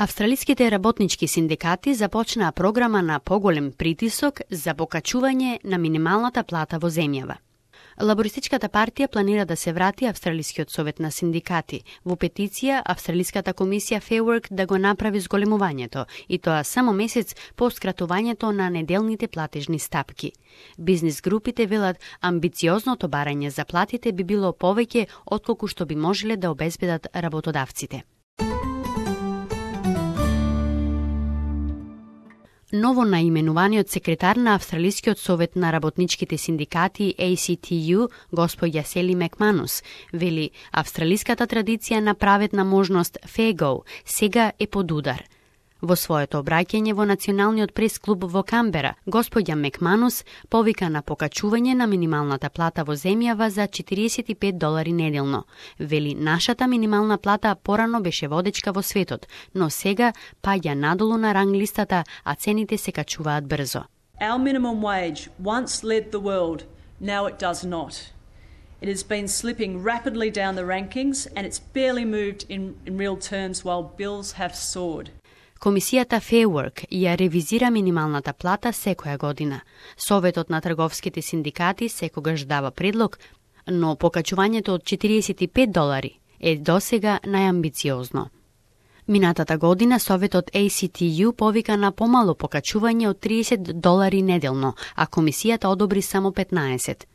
Австралиските работнички синдикати започнаа програма на поголем притисок за покачување на минималната плата во земјава. Лабористичката партија планира да се врати Австралискиот совет на синдикати. Во петиција, Австралиската комисија Fair Work да го направи зголемувањето, и тоа само месец по скратувањето на неделните платежни стапки. Бизнис групите велат амбициозното барање за платите би било повеќе отколку што би можеле да обезбедат работодавците. Ново наименуваниот секретар на Австралискиот совет на работничките синдикати ACTU, господја Сели Макманус, вели австралиската традиција на праветна можност fair go сега е под удар. Во своето обраќање во Националниот прес-клуб во Камбера, господја Макманус повика на покачување на минималната плата во земјава за $45 неделно. Вели нашата минимална плата порано беше водечка во светот, но сега паѓа надолу на ранглистата, а цените се качуваат брзо. Our minimum wage once led the world, now it does not. It has been slipping rapidly down the rankings and it's barely moved in real terms while bills have soared. Комисијата Fair Work ја ревизира минималната плата секоја година. Советот на трговските синдикати секогаш дава предлог, но покачувањето од $45 е досега најамбициозно. Минатата година Советот ACTU повика на помало покачување од $30 неделно, а комисијата одобри само 15.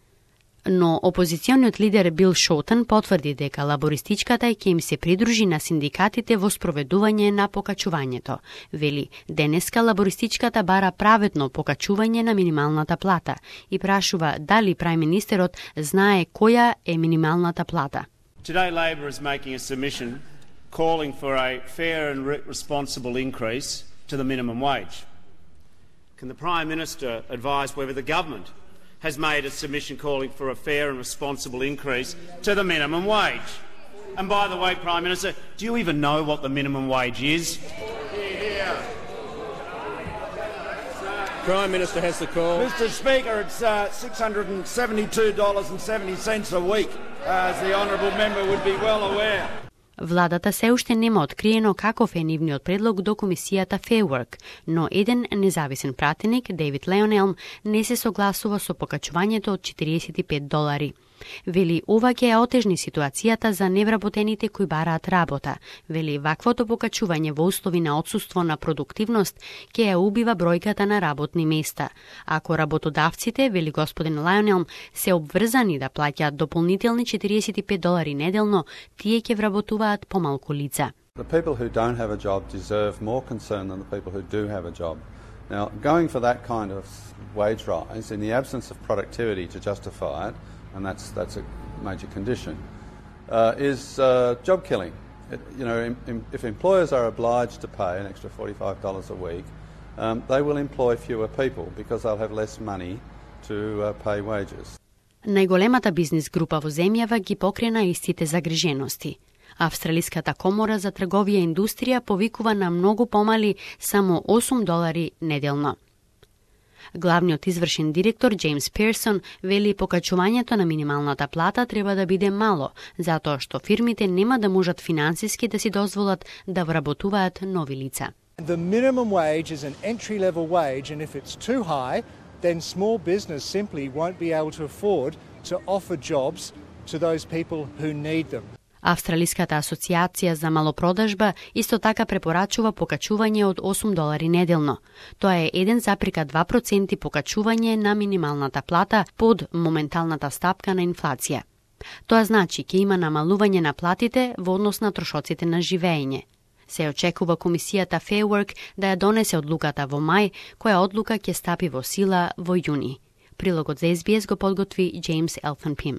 Но опозициониот лидер Бил Шотен потврди дека лабористичката ќе им се придружи на синдикатите во спроведување на покачувањето. Вели, денеска лабористичката бара праветно покачување на минималната плата и прашува дали прајм-министерот знае која е минималната плата. Today Labor is making a submission calling for a fair and responsible increase to the minimum wage. Can the Prime Minister advise whether the government has made a submission calling for a fair and responsible increase to the minimum wage? And by the way, Prime Minister, do you even know what the minimum wage is? Prime Minister has the call. Mr Speaker, it's $672.70 a week, as the honourable member would be well aware. Владата се уште нема откриено каков е нивниот предлог до комисијата Fair Work, но еден независен пратеник, Дейвид Леонелм, не се согласува со покачувањето од $45. Вели, ова ќе ја отежни ситуацијата за невработените кои бараат работа. Вели, ваквото покачување во услови на отсуство на продуктивност ќе ја убива бројката на работни места. Ако работодавците, вели господин Леонелм, се обврзани да плаќаат дополнителни $45 неделно, тие ќе вработуваат помалку лица. The people who don't have a job deserve more concern than the people who do have a job. Now, going for that kind of wage rise in the absence of productivity to justify it, and that's a major condition, is job killing. If employers are obliged to pay an extra $45 a week, they will employ fewer people because they'll have less money to pay wages. Најголемата бизнис група во земјава ги покрена истите загрижености. Австралиската комора за трговија и индустрија повикува на многу помали само $8 неделно. Главниот извршен директор Джеймс Персон вели покачувањето на минималната плата треба да биде мало, затоа што фирмите нема да можат финансиски да си дозволат да вработуваат нови лица. The minimum wage is an entry-level wage, and if it's too high, then small business simply won't be able to afford to offer jobs to those people who need them. Австралиската асоциација за малопродажба исто така препорачува покачување од $8 неделно. Тоа е 1,2% покачување на минималната плата под моменталната стапка на инфлација. Тоа значи ќе има намалување на платите во однос на трошоците на живење. Се очекува комисијата Fair Work да ја донесе одлуката во мај, која одлука ќе стапи во сила во јуни. Прилогот за SBS го подготви Джеймс Елфен Пим.